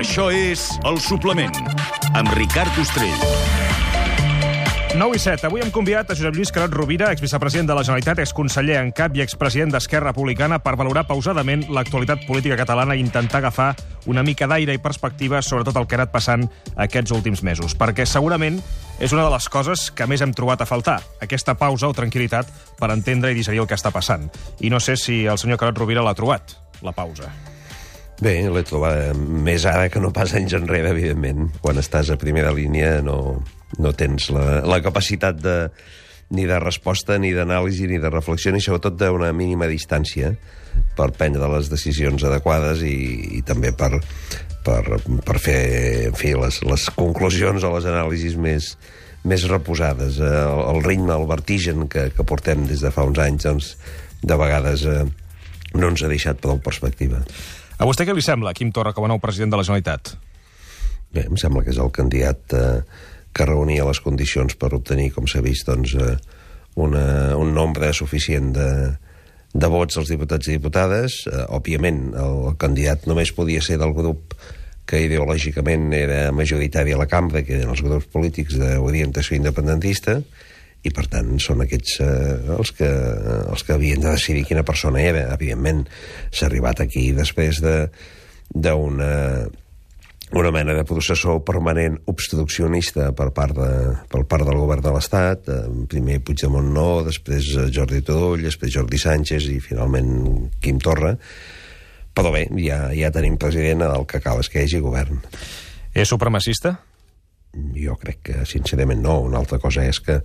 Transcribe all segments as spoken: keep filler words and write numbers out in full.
Això és El Suplement, amb Ricard Ostrell. nou i set. Avui hem convidat a Josep Lluís Carod Rovira, exvicepresident de la Generalitat, exconseller en cap i expresident d'Esquerra Republicana, per valorar pausadament l'actualitat política catalana i intentar agafar una mica d'aire i perspectiva sobre tot el que ha anat passant aquests últims mesos. Perquè segurament és una de les coses que més hem trobat a faltar, aquesta pausa o tranquil·litat per entendre i digerir el que està passant. I no sé si el senyor Carod Rovira l'ha trobat, la pausa. Bé, l'he trobat més ara que no pas anys enrere, evidentment. Quan estàs a primera línia no, no tens la, la capacitat de, ni de resposta, ni d'anàlisi, ni de reflexió, ni sobretot d'una mínima distància per prendre les decisions adequades i, i també per, per, per fer en fi, les, les conclusions o les anàlisis més, més reposades. El, el ritme, el vertigen que, que portem des de fa uns anys, doncs, de vegades eh, no ens ha deixat prou perspectiva. A vostè què li sembla, Quim Torra, com a nou president de la Generalitat? Bé, em sembla que és el candidat eh, que reunia les condicions per obtenir, com s'ha vist, doncs, eh, una, un nombre suficient de, de vots als diputats i diputades. Eh, òbviament, el, el candidat només podia ser del grup que ideològicament era majoritari a la cambra, que eren els grups polítics d'orientació independentista, i per tant són aquests eh, els, que, els que havien de decidir quina persona era. Evidentment s'ha arribat aquí després d'una una mena de processó permanent obstruccionista per part, de, per part del govern de l'Estat, eh, primer Puigdemont no, després Jordi Turull, després Jordi Sánchez i finalment Quim Torra. Però bé, ja, ja tenim president, el que cal és que hi hagi govern. És supremacista? Jo crec que sincerament no. Una altra cosa és que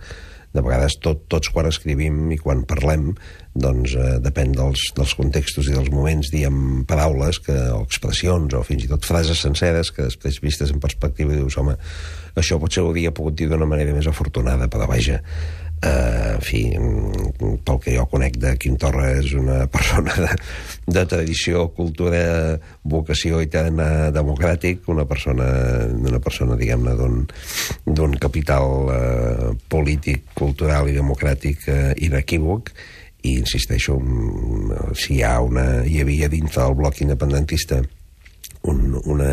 de vegades tot, tots quan escrivim i quan parlem, doncs eh, depèn dels, dels contextos i dels moments, diem paraules que, o expressions o fins i tot frases senceres que després vistes en perspectiva dius, home, això potser ho hauria pogut dir d'una manera més afortunada, però vaja, eh, en fi, pel que jo conec de Quim Torra és una persona de, de tradició, cultura, vocació i tant democràtic, una persona, una persona diguem-ne, d'un, d'un capital eh, polític, cultural i democràtic eh, inequívoc, i insisteixo, si hi ha una, hi havia dintre del bloc independentista un, una,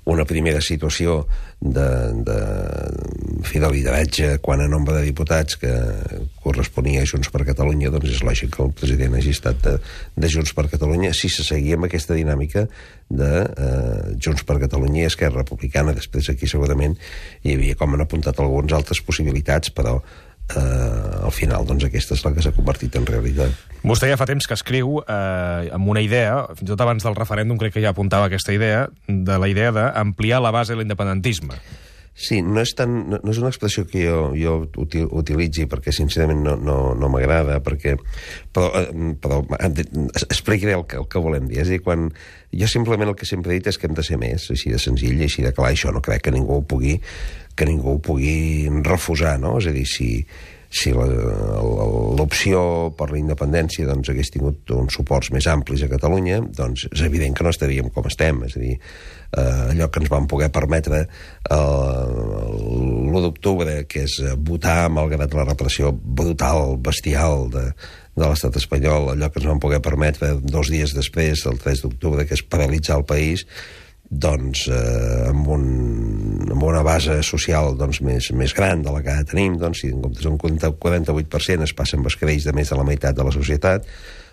una primera situació de, de, de lideratge quan a nombre de diputats que corresponia a Junts per Catalunya, doncs és lògic que el president hagi estat de, de Junts per Catalunya si se seguia amb aquesta dinàmica de eh, Junts per Catalunya i Esquerra Republicana. Després aquí segurament hi havia, com han apuntat algunes altres possibilitats, però Uh, al final, doncs, aquesta és la que s'ha convertit en realitat. Vostè ja fa temps que escriu eh, amb una idea, fins i tot abans del referèndum crec que ja apuntava aquesta idea, de la idea d'ampliar la base de l'independentisme. Sí, no és, tan, no, no és una expressió que jo, jo util, utilitzi perquè sincerament no, no, no m'agrada, perquè, però, però explicaré el que, el que volem dir. És a dir, quan jo simplement el que sempre he dit és que hem de ser més, així de senzill i així de clar, això no crec que ningú ho pugui, que ningú ho pugui refusar, no? És a dir, si, si l'opció per la independència doncs, hagués tingut uns suports més amplis a Catalunya, doncs és evident que no estaríem com estem. És a dir, eh, allò que ens van poder permetre l'u d'octubre, que és votar malgrat la repressió brutal, bestial de, de l'estat espanyol, allò que ens van poder permetre dos dies després, el tres d'octubre, que és paralitzar el país, doncs eh, amb, un, amb una base social doncs, més, més gran de la que ara tenim, doncs, si en comptes d'un quaranta-vuit per cent es passa amb escreix de més de la meitat de la societat,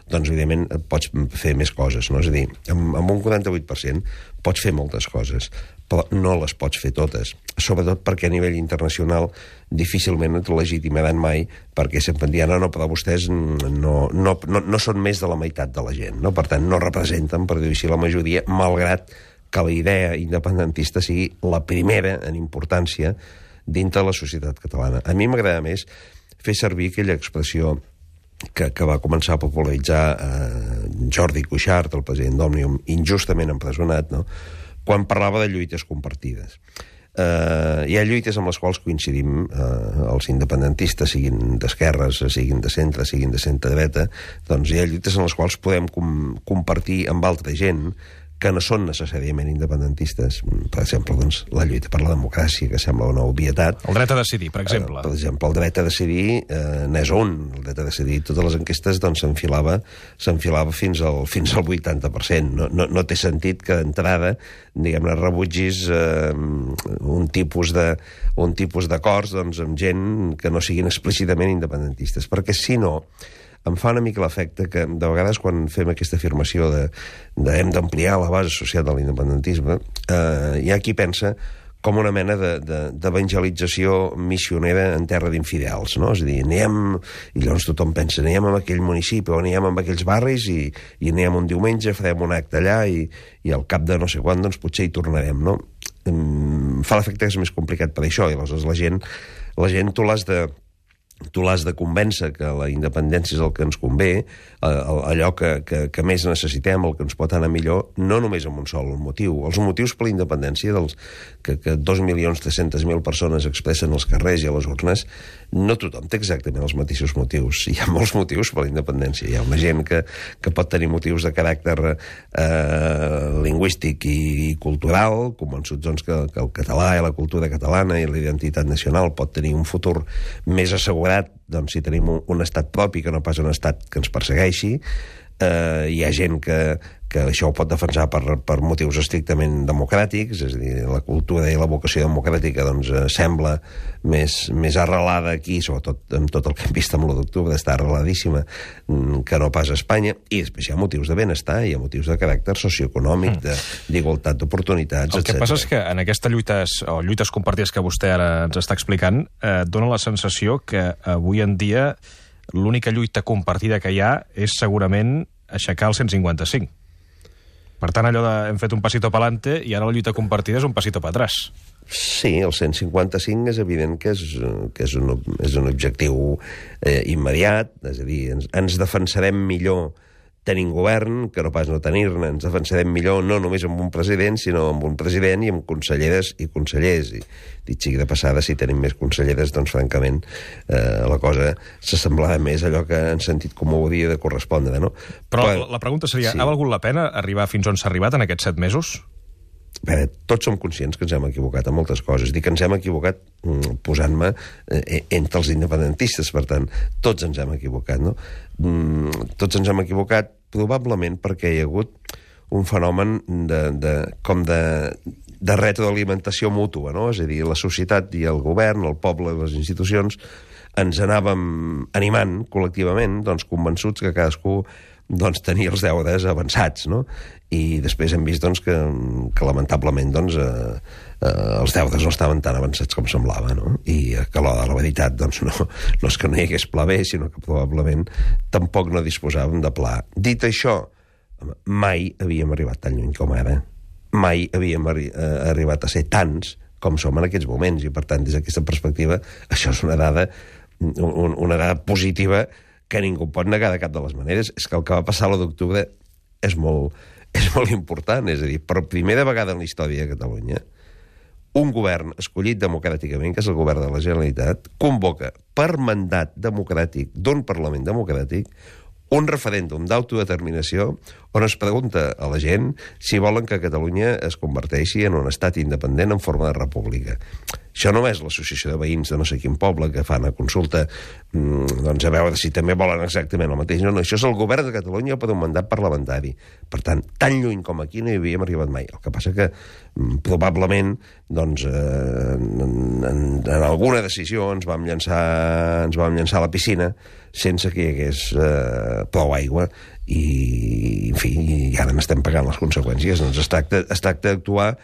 doncs evidentment pots fer més coses, no? És a dir, amb, amb un quaranta-vuit per cent pots fer moltes coses, però no les pots fer totes, sobretot perquè a nivell internacional difícilment et legitimaran mai, perquè sempre em diran, no, no, però vostès no, no, no, no són més de la meitat de la gent, no? Per tant no representen, per dir-ho així, la majoria, malgrat que la idea independentista sigui la primera en importància dintre de la societat catalana. A mi m'agrada més fer servir aquella expressió que, que va començar a popularitzar eh, Jordi Cuixart, el president d'Òmnium, injustament empresonat, no? Quan parlava de lluites compartides. Eh, hi ha lluites amb les quals coincidim eh, els independentistes, siguin d'esquerres, siguin de centre, siguin de centre-dreta, doncs hi ha lluites en les quals podem com, compartir amb altra gent que no són necessàriament independentistes. Per exemple, doncs, la lluita per la democràcia, que sembla una obvietat. El dret a decidir, per exemple. Eh, per exemple, el dret a decidir eh, n'és un. El dret a decidir, totes les enquestes doncs, s'enfilava s'enfilava fins al, fins al vuitanta per cent. No, no, no té sentit que d'entrada, diguem-ne, rebutgis eh, un tipus de un tipus d'acords doncs, amb gent que no siguin explícitament independentistes. Perquè, si no, em fa una mica l'efecte que, de vegades, quan fem aquesta afirmació de, de hem d'ampliar la base social de l'independentisme, eh, hi ha qui pensa com una mena d'evangelització missionera en terra d'infidels, no? És a dir, anem, i llavors tothom pensa, anem a aquell municipi o anem a aquells barris i, i anem un diumenge, farem un acte allà i, i al cap de no sé quan, doncs potser hi tornarem, no? Em fa l'efecte que és més complicat per això, i aleshores la gent, la gent tu l'has de tu l'has de convèncer que la independència és el que ens convé, allò que, que, que més necessitem, el que ens pot anar millor, no només amb un sol motiu. Els motius per la independència dels, que, que dos milions tres-centes mil persones expressen als carrers i a les urnes, no tothom té exactament els mateixos motius. Hi ha molts motius per la independència. Hi ha una gent que, que pot tenir motius de caràcter eh, lingüístic i, i cultural, convençuts doncs, que, que el català i la cultura catalana i la identitat nacional pot tenir un futur més assegurat doncs, si tenim un, un estat propi que no pas un estat que ens persegueixi. Eh, hi ha gent que, que això ho pot defensar per, per motius estrictament democràtics, és a dir, la cultura i la vocació democràtica doncs, eh, sembla més, més arrelada aquí, sobretot amb tot el que hem vist amb l'u d'octubre, està arreladíssima, que no pas a Espanya, i després hi ha motius de benestar, hi ha motius de caràcter socioeconòmic, d'igualtat d'oportunitats, etcètera. El que passa és que en aquestes lluites, o lluites compartides que vostè ara ens està explicant, eh, dona la sensació que avui en dia l'única lluita compartida que hi ha és segurament aixecar el cent cinquanta-cinc. Per tant, allò de hem fet un passito pa'lante i ara la lluita compartida és un passito pa atrás. Sí, el cent cinquanta-cinc és evident que és, que és, un, és un objectiu eh, immediat, és a dir, ens, ens defensarem millor tenint govern que no pas no tenir-ne. Ens defensarem millor no només amb un president, sinó amb un president i amb conselleres i consellers. I dit sigui de passada, si tenim més conselleres, doncs francament eh, la cosa s'assemblava més a allò que en sentit comú hauria de correspondre, no? Però, Però la pregunta seria, sí. Ha valgut la pena arribar fins on s'ha arribat en aquests set mesos? A veure, tots som conscients que ens hem equivocat en moltes coses. Dic que ens hem equivocat mm, posant-me eh, entre els independentistes, per tant, tots ens hem equivocat, no? Mm, tots ens hem equivocat probablement perquè hi ha hagut un fenomen de, de, com de, de retroalimentació mútua, no? És a dir, la societat i el govern, el poble i les institucions ens anàvem animant col·lectivament, doncs, convençuts que cadascú doncs, tenia els deures avançats, no? I després hem vist doncs, que, que lamentablement doncs, eh, eh, els deures no estaven tan avançats com semblava, no? I que a l'hora de la veritat doncs, no, no és que no hi hagués pla B, sinó que probablement tampoc no disposàvem de pla. Dit això, mai havíem arribat tan lluny com ara. Mai havíem arri eh, arribat a ser tants com som en aquests moments, i per tant, des d'aquesta perspectiva, això és una dada, un, una dada positiva que ningú pot negar de cap de les maneres. És que el que va passar l'u d'octubre és molt, és molt important. És a dir, per primera vegada en la història de Catalunya, un govern escollit democràticament, que és el govern de la Generalitat, convoca per mandat democràtic d'un Parlament democràtic un referèndum d'autodeterminació on es pregunta a la gent si volen que Catalunya es converteixi en un estat independent en forma de república. Això no és l'associació de veïns de no sé quin poble que fan a consulta doncs a veure si també volen exactament el mateix. No, no, això és el govern de Catalunya per un mandat parlamentari. Per tant, tan lluny com aquí no hi havíem arribat mai. El que passa que probablement doncs, eh, en, en, en alguna decisió ens vam llançar, ens vam llançar a la piscina sense que hi hagués eh, prou aigua i, en fi, i ara n'estem pagant les conseqüències. Doncs es tracta, es tracta d'actuar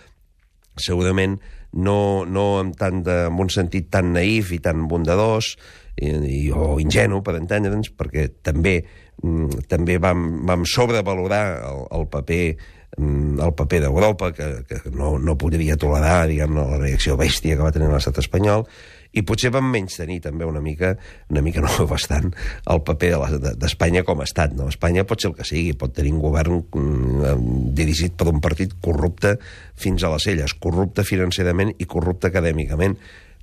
segurament no, no amb, tant de, amb un sentit tan naïf i tan bondadós i, i, o ingenu, per entendre'ns, perquè també, mm, també vam, vam sobrevalorar el, el paper el paper d'Europa, que, que no, no podria tolerar, diguem-ne, la reacció bèstia que va tenir l'estat espanyol, i potser vam menystenir també una mica, una mica no bastant, el paper d'Espanya com a estat. No? Espanya pot ser el que sigui, pot tenir un govern mm, dirigit per un partit corrupte fins a les celles, corrupte financerament i corrupte acadèmicament,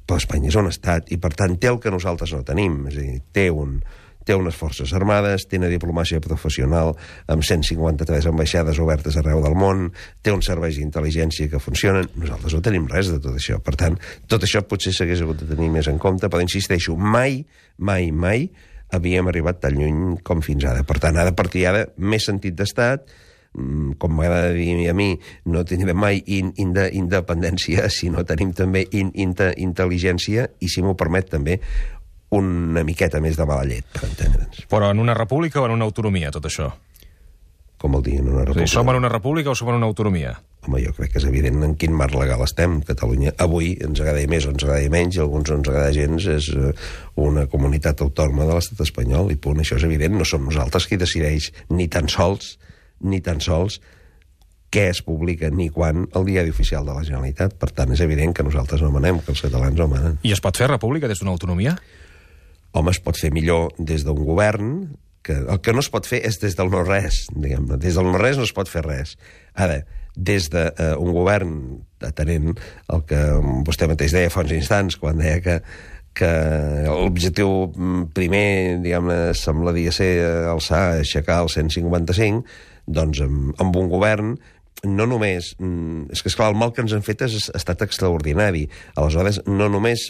però Espanya és un estat, i per tant té el que nosaltres no tenim, és a dir, té un, té unes forces armades, té una diplomàcia professional amb cent cinquanta-tres ambaixades obertes arreu del món, té uns serveis d'intel·ligència que funcionen. Nosaltres no tenim res de tot això. Per tant, tot això potser s'hagués hagut de tenir més en compte, però insisteixo, mai, mai, mai havíem arribat tan lluny com fins ara. Per tant, ha de partir ara més sentit d'estat, com m'agrada dir a mi, no tindrem mai in, in de, independència, sinó tenim també in, in, intel·ligència i, si m'ho permet, també una miqueta més de mala llet, per entendre'ns. Però en una república o en una autonomia, tot això? Com vol dir, en una república? O sigui, som en una república o som en una autonomia? Home, jo crec que és evident en quin marc legal estem. Catalunya avui ens agrada més o ens agrada menys, i alguns no ens agrada gens, és una comunitat autònoma de l'estat espanyol, i punt, això és evident. No som nosaltres qui decideix ni tan sols ni tan sols què es publica ni quan al diari oficial de la Generalitat. Per tant, és evident que nosaltres no manem, que els catalans no manen. I es pot fer república des d'una autonomia? Home, es pot fer millor des d'un govern. Que el que no es pot fer és des del no-res, diguem-ne. Des del no-res no es pot fer res. Ara, des d'un uh, govern, atenent el que vostè mateix deia fa uns instants, quan deia que que l'objectiu primer, diguem-ne, semblaria ser alçar, aixecar el cent cinquanta-cinc, doncs amb, amb un govern no només... És que, esclar, el mal que ens han fet ha estat extraordinari. Aleshores, no només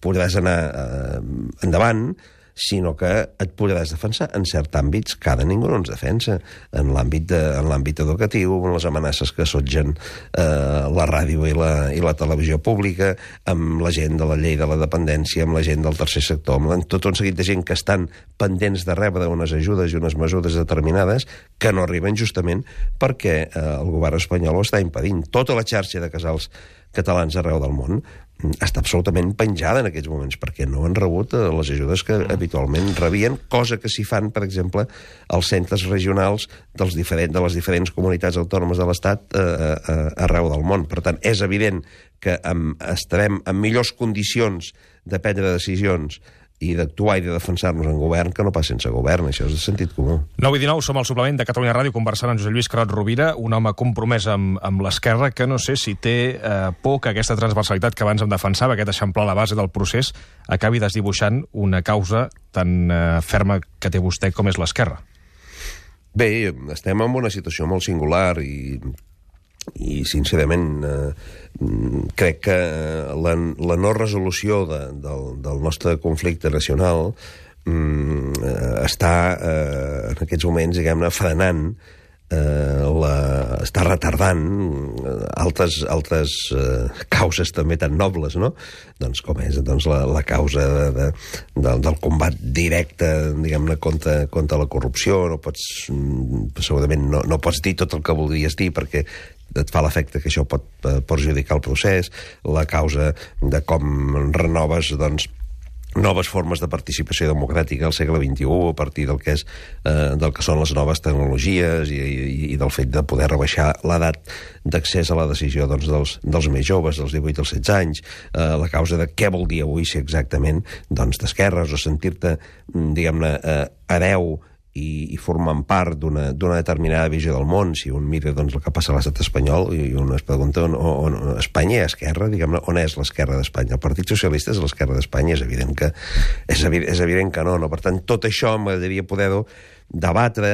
podràs anar eh, endavant, sinó que et podràs defensar en certs àmbits que ara ningú no ens defensa. En l'àmbit de, en l'àmbit educatiu, amb les amenaces que assetgen eh, la ràdio i la, i la televisió pública, amb la gent de la llei de la dependència, amb la gent del tercer sector, amb tot un seguit de gent que estan pendents de rebre unes ajudes i unes mesures determinades que no arriben justament perquè eh, el govern espanyol ho està impedint. Tota la xarxa de casals catalans arreu del món està absolutament penjada en aquests moments perquè no han rebut les ajudes que habitualment rebien, cosa que s'hi fan, per exemple, als centres regionals dels diferent, de les diferents comunitats autònomes de l'Estat eh, eh, arreu del món. Per tant, és evident que amb, estarem en millors condicions de prendre decisions i d'actuar i de defensar-nos en govern que no pas sense govern. Això és de sentit comú. nou i dinou, som al suplement de Catalunya Ràdio conversant amb Josep Lluís Carod Rovira, un home compromès amb, amb l'esquerra que no sé si té eh, por que aquesta transversalitat que abans em defensava, aquest eixamplar la base del procés, acabi desdibuixant una causa tan eh, ferma que té vostè com és l'esquerra. Bé, estem en una situació molt singular i i sincerament eh, crec que la, la no resolució de, del, del nostre conflicte nacional eh, està eh, en aquests moments, diguem-ne, frenant, eh, la, està retardant altres, altres eh, causes també tan nobles, no? Doncs com és doncs, la, la causa de, de, de, del combat directe, diguem-ne, contra, contra la corrupció. No pots, segurament no, no pots dir tot el que voldries dir perquè et fa l'efecte que això pot perjudicar el procés, la causa de com renoves, doncs, noves formes de participació democràtica al segle vint-i-u a partir del que, és, eh, del que són les noves tecnologies i, i, i del fet de poder rebaixar l'edat d'accés a la decisió doncs, dels, dels més joves, dels divuit als setze anys, eh, la causa de què vol dir avui ser exactament doncs, d'esquerres o sentir-te, diguem-ne, eh, hereu i, i formant part d'una determinada visió del món. Si un mira doncs, el que passa a l'estat espanyol i un es pregunta on, on, on Espanya és esquerra, diguem-ne, on és l'esquerra d'Espanya? El Partit Socialista és l'esquerra d'Espanya, és evident que és evident, és evident que no, no. Per tant, tot això m'agradaria poder-ho debatre,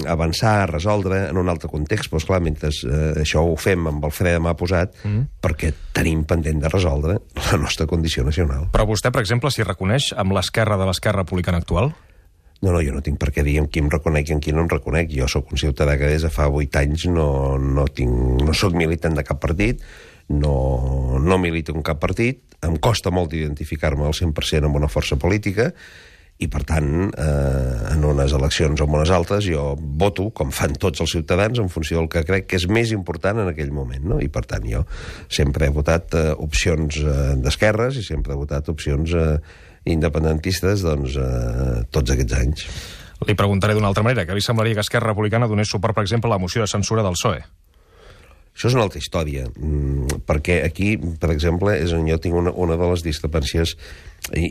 avançar, resoldre en un altre context, però esclar, mentre eh, això ho fem amb el fre de mà posat, mm. perquè tenim pendent de resoldre la nostra condició nacional. Però vostè, per exemple, s'hi reconeix amb l'esquerra de l'esquerra republicana actual? No, no, jo no tinc per què dir amb qui em reconec i amb qui no em reconec. Jo sóc un ciutadà que des de fa vuit anys no, no, tinc, no sóc militant de cap partit, no, no milito en cap partit, em costa molt identificar-me al cent per cent amb una força política i, per tant, eh, en unes eleccions o en unes altres, jo voto, com fan tots els ciutadans, en funció del que crec que és més important en aquell moment, no? I, per tant, jo sempre he votat eh, opcions eh, d'esquerres i sempre he votat opcions eh, independentistes doncs, eh, tots aquests anys. Li preguntaré d'una altra manera. Què li semblaria que Esquerra Republicana donés suport, per exemple, a la moció de censura del P S O E? Això és una altra història, perquè aquí, per exemple, és on jo tinc una, una de les discrepàncies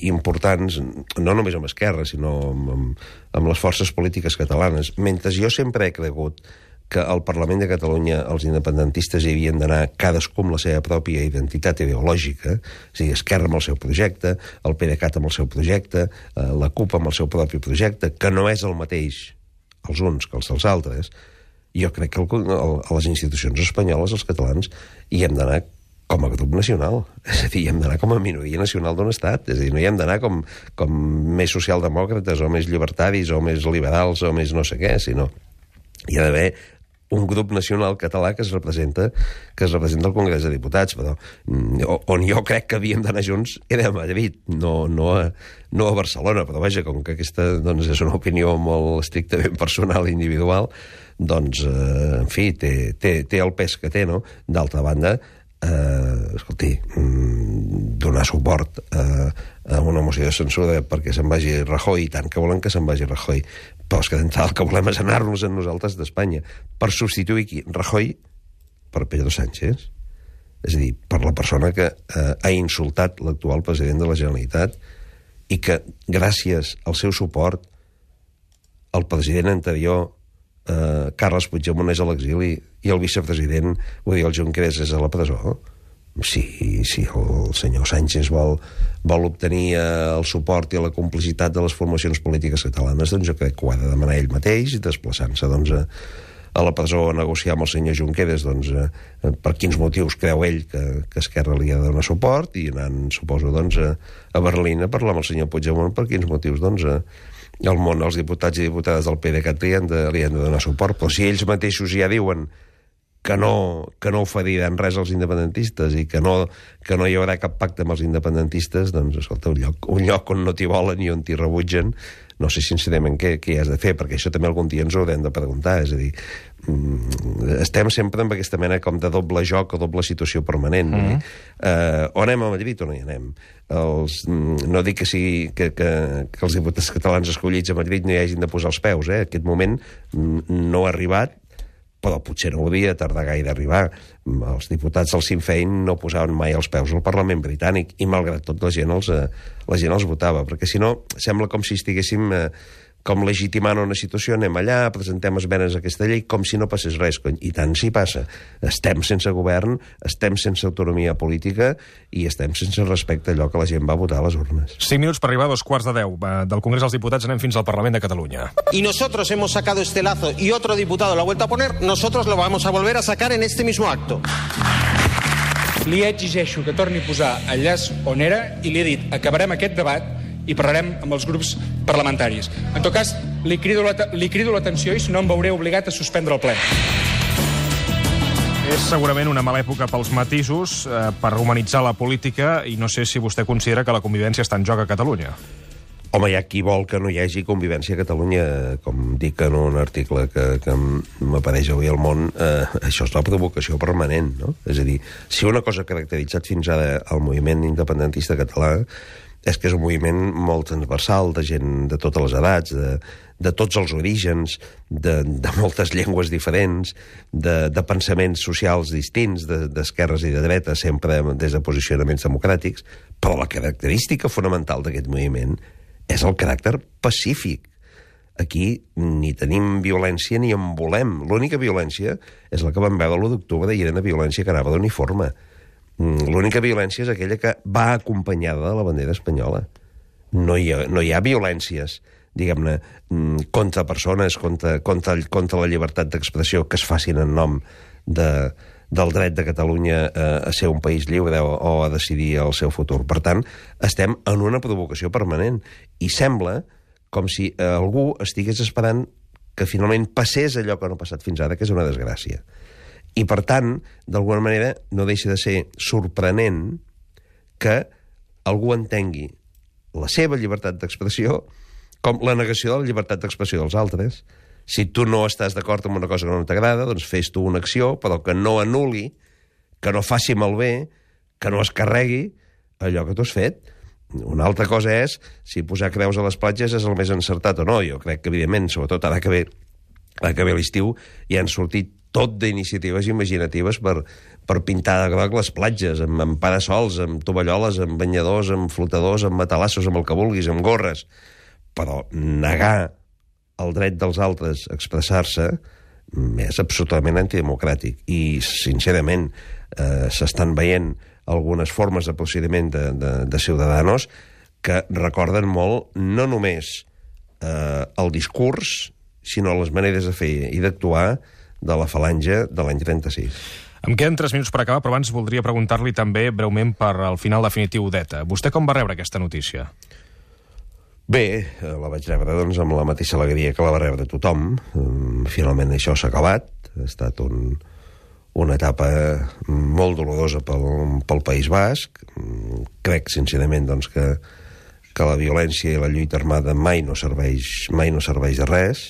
importants, no només amb Esquerra, sinó amb, amb, amb les forces polítiques catalanes. Mentre jo sempre he cregut que al Parlament de Catalunya els independentistes hi havien d'anar cadascú amb la seva pròpia identitat ideològica, és a dir, Esquerra amb el seu projecte, el PDeCAT amb el seu projecte, la CUP amb el seu propi projecte, que no és el mateix els uns que els dels altres. Jo crec que el, el, a les institucions espanyoles, els catalans, hi hem d'anar com a grup nacional. És a dir, hi hem d'anar com a minoria nacional d'un estat. És a dir, no hi hem d'anar com, com més socialdemòcrates o més llibertaris o més liberals o més no sé què, sinó hi ha d'haver un grup nacional català que es representa que es representa al Congrés de Diputats, però on jo crec que havíem d'anar junts era a Madrid, no, no, a, no a Barcelona, però vaja, com que aquesta doncs, és una opinió molt estrictament personal i individual, doncs, eh, en fi, té, té, té el pes que té, no? D'altra banda, eh, escolti, donar suport a, a una moció de censura perquè se'n vagi Rajoy, i tant que volen que se'n vagi Rajoy, però és que d'entrada el que volem és anar-nos en nosaltres d'Espanya per substituir qui? Rajoy per Pedro Sánchez, és a dir, per la persona que eh, ha insultat l'actual president de la Generalitat i que gràcies al seu suport el president anterior Uh, Carles Puigdemont és a l'exili i el vicepresident, vull dir, el Junqueras és a la presó. Si, si el senyor Sánchez vol, vol obtenir uh, el suport i la complicitat de les formacions polítiques catalanes, doncs jo crec que ho ha de demanar ell mateix, desplaçant-se doncs, a, a la presó a negociar amb el senyor Junqueras doncs, uh, per quins motius creu ell que, que Esquerra li ha de donar suport, i anant, suposo, doncs, a, a Berlín a parlar amb el senyor Puigdemont per quins motius, doncs, uh, el món, els diputats i diputades del PDeCAT li han, de, li han de donar suport, però si ells mateixos ja diuen que no, que no oferiran res als independentistes i que no, que no hi haurà cap pacte amb els independentistes, doncs, escolta, un lloc, un lloc on no t'hi volen i on t'hi rebutgen, no sé sincerament què, què hi has de fer, perquè això també algun dia ens ho haurem de preguntar, és a dir, estem sempre amb aquesta mena com de doble joc o doble situació permanent. Mm-hmm. eh, o anem a Madrid o no hi anem. Els, no dic que, sigui, que, que, que els diputats catalans escollits a Madrid no hi hagin de posar els peus, eh? Aquest moment no ha arribat, però potser no hauria tardar gaire a arribar. Els diputats del Sinn Féin no posaven mai els peus al Parlament britànic i, malgrat tot, la gent els, la gent els votava, perquè si no sembla com si estiguéssim eh, com legitimant una situació, anem allà, presentem esmenes a aquesta llei com si no passés res, cony. I tant si passa. Estem sense govern, estem sense autonomia política i estem sense respecte a allò que la gent va votar a les urnes. Cinc minuts per arribar a dos quarts de deu. Del Congrés dels Diputats anem fins al Parlament de Catalunya. Y nosotros hemos sacado este lazo y otro diputado lo ha vuelto a poner, nosotros lo vamos a volver a sacar en este mismo acto. Li exigeixo que torni a posar el llaç on era i li he dit, acabarem aquest debat i parlarem amb els grups parlamentaris. En tot cas, li crido, la, li crido l'atenció i si no em veuré obligat a suspendre el ple. És segurament una mala època pels matisos, eh, per humanitzar la política, i no sé si vostè considera que la convivència està en joc a Catalunya. Home, hi ha qui vol que no hi hagi convivència a Catalunya, com dic en un article que, que m'apareix avui al Món, eh, això és la provocació permanent, no? És a dir, si una cosa ha caracteritzat fins ara el moviment independentista català és que és un moviment molt transversal, de gent de totes les edats, de, de tots els orígens, de, de moltes llengües diferents, de, de pensaments socials distints, d'esquerres i de dretes, sempre des de posicionaments democràtics, però la característica fonamental d'aquest moviment és el caràcter pacífic. Aquí ni tenim violència ni en volem. L'única violència és la que vam veure l'u d'octubre i era una violència que anava d'uniforme. L'única violència és aquella que va acompanyada de la bandera espanyola. No hi ha, no hi ha violències, diguem-ne, contra persones, contra, contra, contra la llibertat d'expressió que es facin en nom de, del dret de Catalunya a, a ser un país lliure o, o a decidir el seu futur. Per tant, estem en una provocació permanent i sembla com si algú estigués esperant que finalment passés allò que no ha passat fins ara, que és una desgràcia. I, per tant, d'alguna manera, no deixa de ser sorprenent que algú entengui la seva llibertat d'expressió com la negació de la llibertat d'expressió dels altres. Si tu no estàs d'acord amb una cosa que no t'agrada, doncs fes tu una acció, però que no anul·li, que no faci malbé, que no es carregui allò que tu has fet. Una altra cosa és si posar creus a les platges és el més encertat o no. Jo crec que, evidentment, sobretot ara que ve, ara que ve l'estiu, ja han sortit tot d'iniciatives imaginatives per, per pintar de groc les platges, amb, amb parasols, amb tovalloles, amb banyadors, amb flotadors, amb matalassos, amb el que vulguis, amb gorres. Però negar el dret dels altres a expressar-se és absolutament antidemocràtic. I, sincerament, eh, s'estan veient algunes formes de procediment de, de, de Ciudadanos que recorden molt no només eh, el discurs, sinó les maneres de fer i d'actuar de la falange de l'any trenta-sis. Em queden tres minuts per acabar, però abans voldria preguntar-li també breument per al final definitiu d'ETA. Vostè com va rebre aquesta notícia? Bé, la vaig rebre doncs, amb la mateixa alegria que la va rebre tothom. Finalment això s'ha acabat. Ha estat un, una etapa molt dolorosa pel, pel País Basc. Crec, sincerament, doncs, que, que la violència i la lluita armada mai no serveix, mai no serveix de res.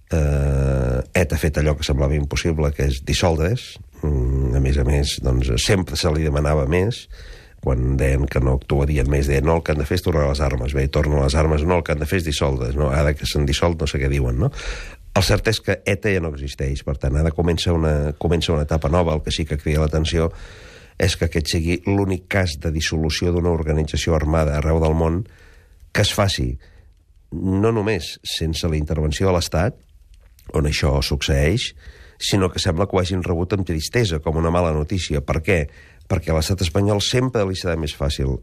Eh, ETA ha fet allò que semblava impossible, que és dissoldre's. A més a més, doncs, sempre se li demanava més. Quan deien que no actuarien més, deien no, el que han de fer és tornar a les armes. Bé, torno a les armes, no, el que han de fer és dissoldre's. No? Ara que s'han dissolt no sé què diuen, no? El cert és que ETA ja no existeix, per tant, ara comença una, comença una etapa nova. El que sí que crida l'atenció és que aquest sigui l'únic cas de dissolució d'una organització armada arreu del món que es faci no només sense la intervenció de l'Estat, on això succeeix, sinó que sembla que ho hagin rebut amb tristesa, com una mala notícia. Per què? Perquè a l'estat espanyol sempre li serà més fàcil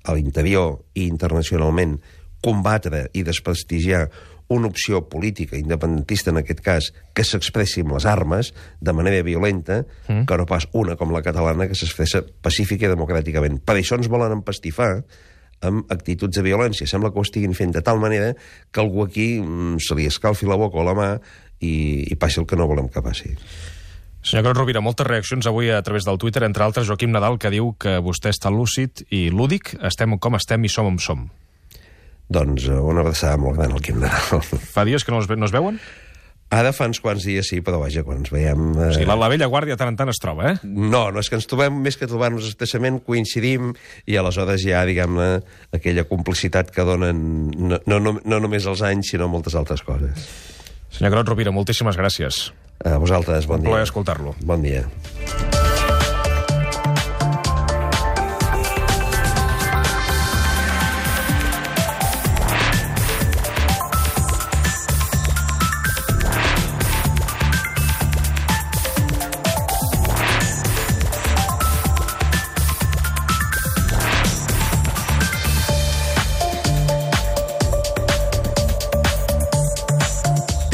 a l'interior i internacionalment combatre i desprestigiar una opció política independentista, en aquest cas, que s'expressi amb les armes de manera violenta, mm. que no pas una com la catalana que s'expressa pacífica i democràticament. Per això ens volen empastifar amb actituds de violència. Sembla que ho estiguin fent de tal manera que algú aquí mm, se li escalfi la boca o la mà i, i passi el que no volem que passi. Senyor Carod Rovira, moltes reaccions avui a través del Twitter, entre altres Joaquim Nadal, que diu que vostè està lúcid i lúdic, estem com estem i som on som. Doncs una abraçada molt gran al Quim Nadal. Fa dies que no, es, no es veuen? Ara fa uns quants dies sí, però vaja, quan ens veiem... Eh... O sigui, la, la vella guàrdia tant en tant es troba, eh? No, no, és que ens trobem, més que trobar-nos expressament, coincidim i aleshores hi ha, diguem-ne, aquella complicitat que donen no, no, no només els anys, sinó moltes altres coses. Senyor Carod Rovira, moltíssimes gràcies. A vosaltres, bon dia. Un plaer escoltar-lo. Bon dia.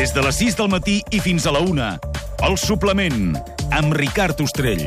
Des de les sis del matí i fins a la una, El Suplement, amb Ricard Ostrell.